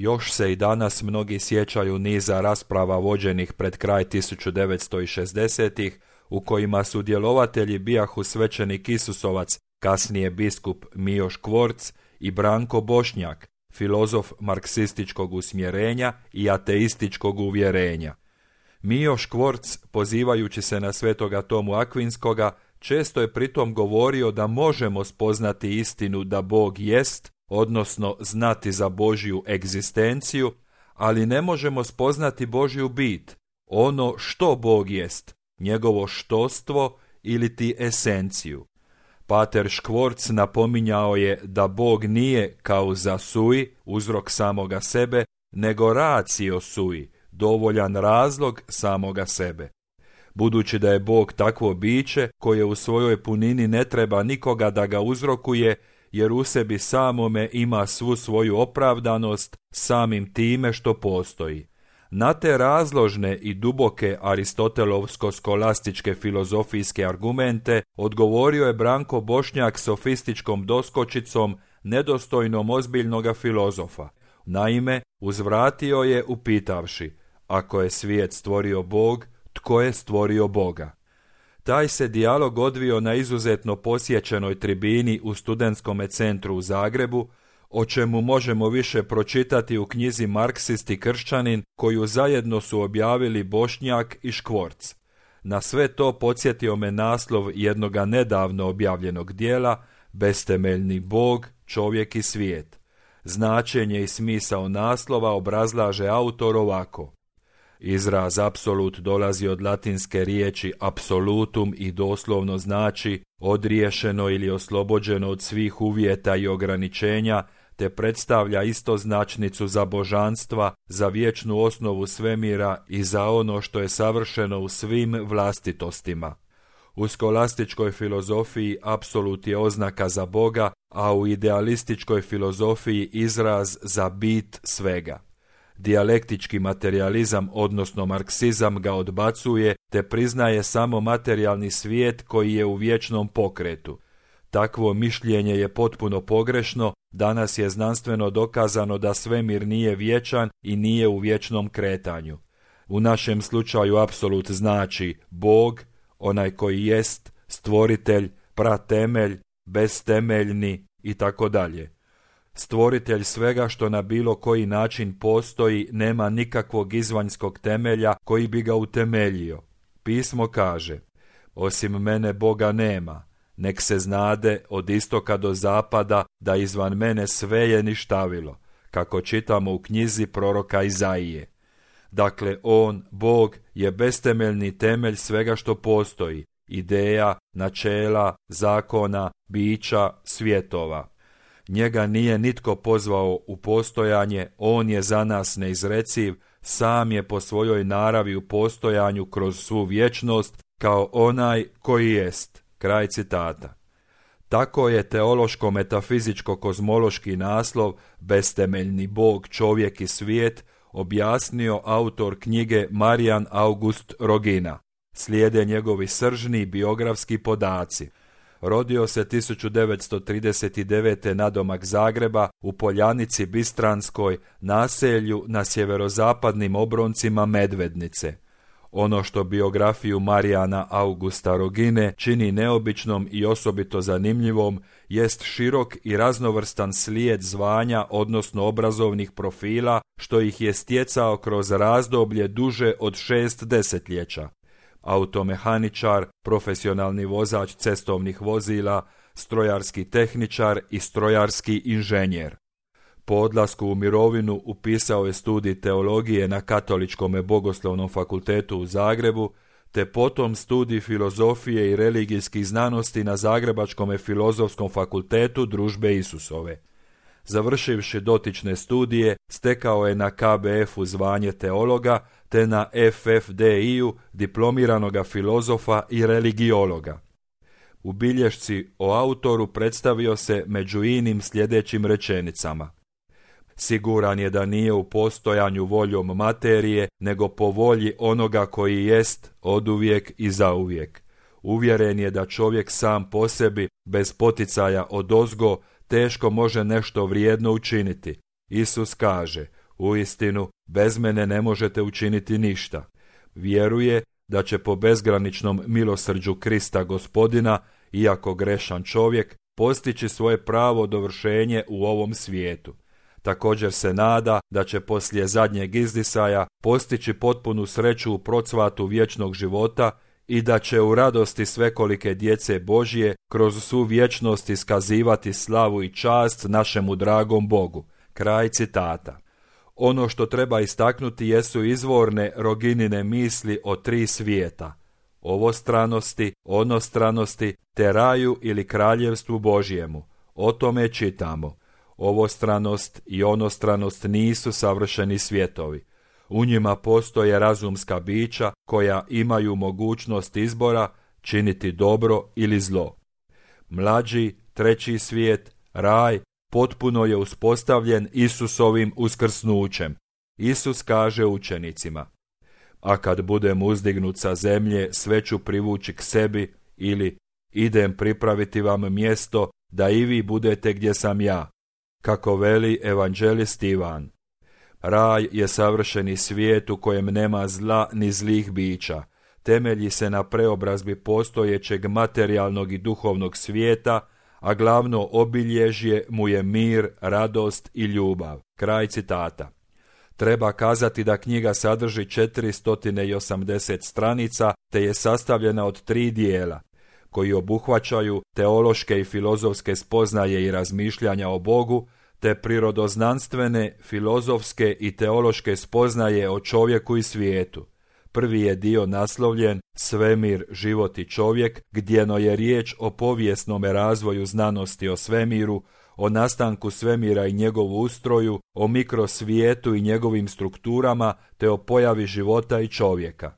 Još se i danas mnogi sjećaju niza rasprava vođenih pred kraj 1960-ih, u kojima su djelovatelji bijahu svećenik Isusovac, kasnije biskup Mijo Škvorc, i Branko Bošnjak, filozof marksističkog usmjerenja i ateističkog uvjerenja. Mijo Škvorc, pozivajući se na svetoga Tomu Akvinskoga, često je pritom govorio da možemo spoznati istinu da Bog jest, odnosno znati za Božju egzistenciju, ali ne možemo spoznati Božju bit, ono što Bog jest, njegovo štostvo ili ti esenciju. Pater Škvorc napominjao je da Bog nije causa sui, uzrok samoga sebe, nego ratio sui, dovoljan razlog samoga sebe. Budući da je Bog takvo biće koje u svojoj punini ne treba nikoga da ga uzrokuje, jer u sebi samome ima svu svoju opravdanost samim time što postoji. Na te razložne i duboke aristotelovsko-skolastičke filozofijske argumente odgovorio je Branko Bošnjak sofističkom doskočicom nedostojnom ozbiljnoga filozofa. Naime, uzvratio je upitavši: ako je svijet stvorio Bog, tko je stvorio Boga? Taj se dijalog odvio na izuzetno posjećenoj tribini u Studentskome centru u Zagrebu, o čemu možemo više pročitati u knjizi Marksist i kršćanin, koju zajedno su objavili Bošnjak i Škvorc. Na sve to podsjetio me naslov jednoga nedavno objavljenog dijela Bestemeljni Bog, čovjek i svijet. Značenje i smisao naslova obrazlaže autor ovako: izraz apsolut dolazi od latinske riječi absolutum i doslovno znači odriješeno ili oslobođeno od svih uvjeta i ograničenja, te predstavlja istoznačnicu za božanstva, za vječnu osnovu svemira i za ono što je savršeno u svim vlastitostima. U skolastičkoj filozofiji apsolut je oznaka za Boga, a u idealističkoj filozofiji izraz za bit svega. Dijalektički materializam, odnosno marksizam, ga odbacuje te priznaje samo materijalni svijet koji je u vječnom pokretu. Takvo mišljenje je potpuno pogrešno, danas je znanstveno dokazano da svemir nije vječan i nije u vječnom kretanju. U našem slučaju apsolut znači Bog, onaj koji jest, stvoritelj, pratemelj, bestemeljni i tako dalje. Stvoritelj svega što na bilo koji način postoji nema nikakvog izvanjskog temelja koji bi ga utemeljio. Pismo kaže: osim mene Boga nema, nek se znade od istoka do zapada da izvan mene sve je ništavilo, kako čitamo u knjizi proroka Izaije. Dakle, on, Bog, je bestemeljni temelj svega što postoji, ideja, načela, zakona, bića, svjetova. Njega nije nitko pozvao u postojanje, on je za nas neizreciv, sam je po svojoj naravi u postojanju kroz svu vječnost, kao onaj koji jest. Kraj citata. Tako je teološko-metafizičko-kozmološki naslov Bestemeljni Bog, čovjek i svijet objasnio autor knjige Marijan August Rogina. Slijede njegovi sržni biografski podaci. Rodio se 1939. nadomak Zagreba u Poljanici Bistranskoj, naselju na sjeverozapadnim obroncima Medvednice. Ono što biografiju Marijana Augusta Rogine čini neobičnom i osobito zanimljivom jest širok i raznovrstan slijed zvanja, odnosno obrazovnih profila, što ih je stjecao kroz razdoblje duže od 6 desetljeća. Automehaničar, profesionalni vozač cestovnih vozila, strojarski tehničar i strojarski inženjer. Po odlasku u mirovinu upisao je studij teologije na Katoličkom bogoslovnom fakultetu u Zagrebu, te potom studij filozofije i religijskih znanosti na Zagrebačkom filozofskom fakultetu Družbe Isusove. Završivši dotične studije, stekao je na KBF-u zvanje teologa, te na FFDI-u diplomiranoga filozofa i religiologa. U bilješci o autoru predstavio se među inim sljedećim rečenicama: siguran je da nije u postojanju voljom materije, nego po volji onoga koji jest oduvijek i zauvijek. Uvjeren je da čovjek sam po sebi, bez poticaja odozgo, teško može nešto vrijedno učiniti. Isus kaže: Uistinu, bez mene ne možete učiniti ništa. Vjeruje da će po bezgraničnom milosrđu Krista Gospodina, iako grešan čovjek, postići svoje pravo dovršenje u ovom svijetu. Također se nada da će poslije zadnjeg izdisaja postići potpunu sreću u procvatu vječnog života i da će u radosti svekolike djece Božje kroz svu vječnost iskazivati slavu i čast našemu dragom Bogu. Kraj citata. Ono što treba istaknuti jesu izvorne Roginine misli o 3 svijeta: ovostranosti, onostranosti, te raju ili kraljevstvu Božjemu. O tome čitamo: ovostranost i onostranost nisu savršeni svijetovi. U njima postoje razumska bića koja imaju mogućnost izbora činiti dobro ili zlo. Mlađi, 3. svijet, raj, potpuno je uspostavljen Isusovim uskrsnućem. Isus kaže učenicima: a kad budem uzdignut sa zemlje, sve ću privući k sebi, ili idem pripraviti vam mjesto da i vi budete gdje sam ja, kako veli evanđelist Ivan. Raj je savršeni svijet u kojem nema zla ni zlih bića. Temelji se na preobrazbi postojećeg materijalnog i duhovnog svijeta, a glavno obilježje mu je mir, radost i ljubav. Kraj citata. Treba kazati da knjiga sadrži 480 stranica, te je sastavljena od 3 dijela, koji obuhvaćaju teološke i filozofske spoznaje i razmišljanja o Bogu, te prirodoznanstvene, filozofske i teološke spoznaje o čovjeku i svijetu. Prvi je dio naslovljen Svemir, život i čovjek, gdjeno je riječ o povijesnome razvoju znanosti o svemiru, o nastanku svemira i njegovu ustroju, o mikrosvijetu i njegovim strukturama, te o pojavi života i čovjeka.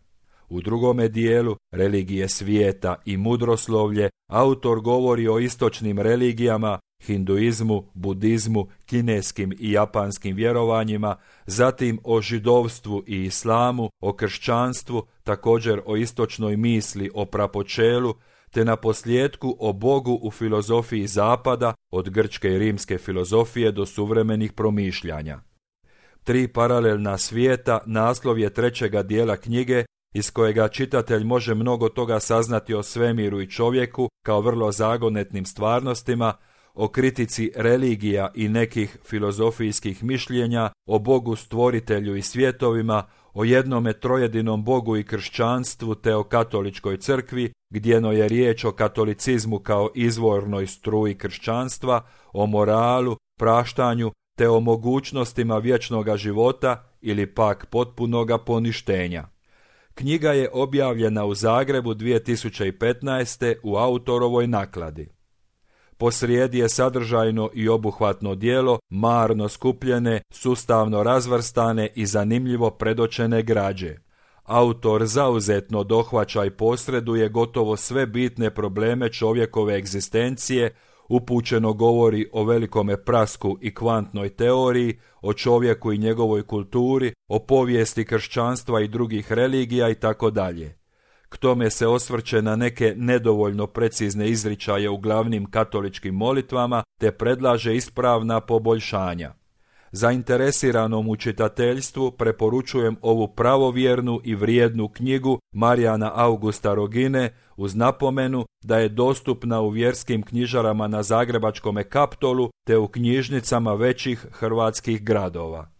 U drugome dijelu, religije svijeta i mudroslovlje, autor govori o istočnim religijama, hinduizmu, budizmu, kineskim i japanskim vjerovanjima, zatim o židovstvu i islamu, o kršćanstvu, također o istočnoj misli o prapočelu, te na posljetku o Bogu u filozofiji zapada, od grčke i rimske filozofije do suvremenih promišljanja. 3 paralelna svijeta naslov je 3. dijela knjige, iz kojega čitatelj može mnogo toga saznati o svemiru i čovjeku kao vrlo zagonetnim stvarnostima, o kritici religija i nekih filozofijskih mišljenja, o Bogu stvoritelju i svjetovima, o jednome trojedinom Bogu i kršćanstvu te o katoličkoj crkvi, gdjeno je riječ o katolicizmu kao izvornoj struji kršćanstva, o moralu, praštanju te o mogućnostima vječnoga života ili pak potpunoga poništenja. Knjiga je objavljena u Zagrebu 2015. u autorovoj nakladi. Posrijedi je sadržajno i obuhvatno djelo, marno skupljene, sustavno razvrstane i zanimljivo predočene građe. Autor zauzetno dohvaća i posreduje gotovo sve bitne probleme čovjekove egzistencije, upućeno govori o velikome prasku i kvantnoj teoriji, o čovjeku i njegovoj kulturi, o povijesti kršćanstva i drugih religija itd. K tome se osvrće na neke nedovoljno precizne izričaje u glavnim katoličkim molitvama, te predlaže ispravna poboljšanja. Zainteresiranom u čitateljstvu preporučujem ovu pravovjernu i vrijednu knjigu Marijana Augusta Rogine, uz napomenu da je dostupna u vjerskim knjižarama na zagrebačkome Kaptolu te u knjižnicama većih hrvatskih gradova.